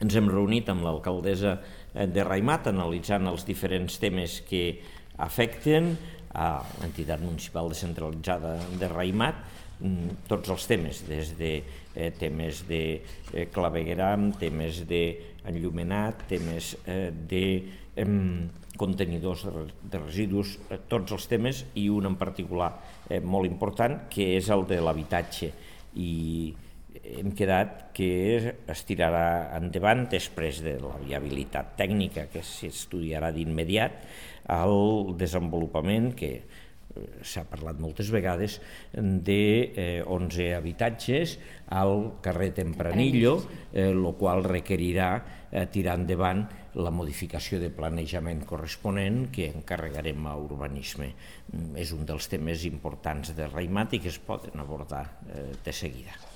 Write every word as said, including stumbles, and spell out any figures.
ens hem reunit amb l'alcaldessa de Raimat analitzant els diferents temes que afecten a l'entitat municipal descentralitzada de Raimat, tots els temes, des de eh, temes de eh, clavegueram, temes d'enllumenat, temes eh, de eh, contenidors de, de residus, eh, tots els temes, i un en particular eh, molt important, que és el de l'habitatge. I hem quedat que es tirarà endavant, després de la viabilitat tècnica que s'estudiarà d'immediat, el desenvolupament, que s'ha parlat moltes vegades, d'onze habitatges al carrer Tempranillo, el qual requerirà tirar endavant la modificació de planejament corresponent que encarregarem a urbanisme. És un dels temes importants de Raimat i que es poden abordar de seguida.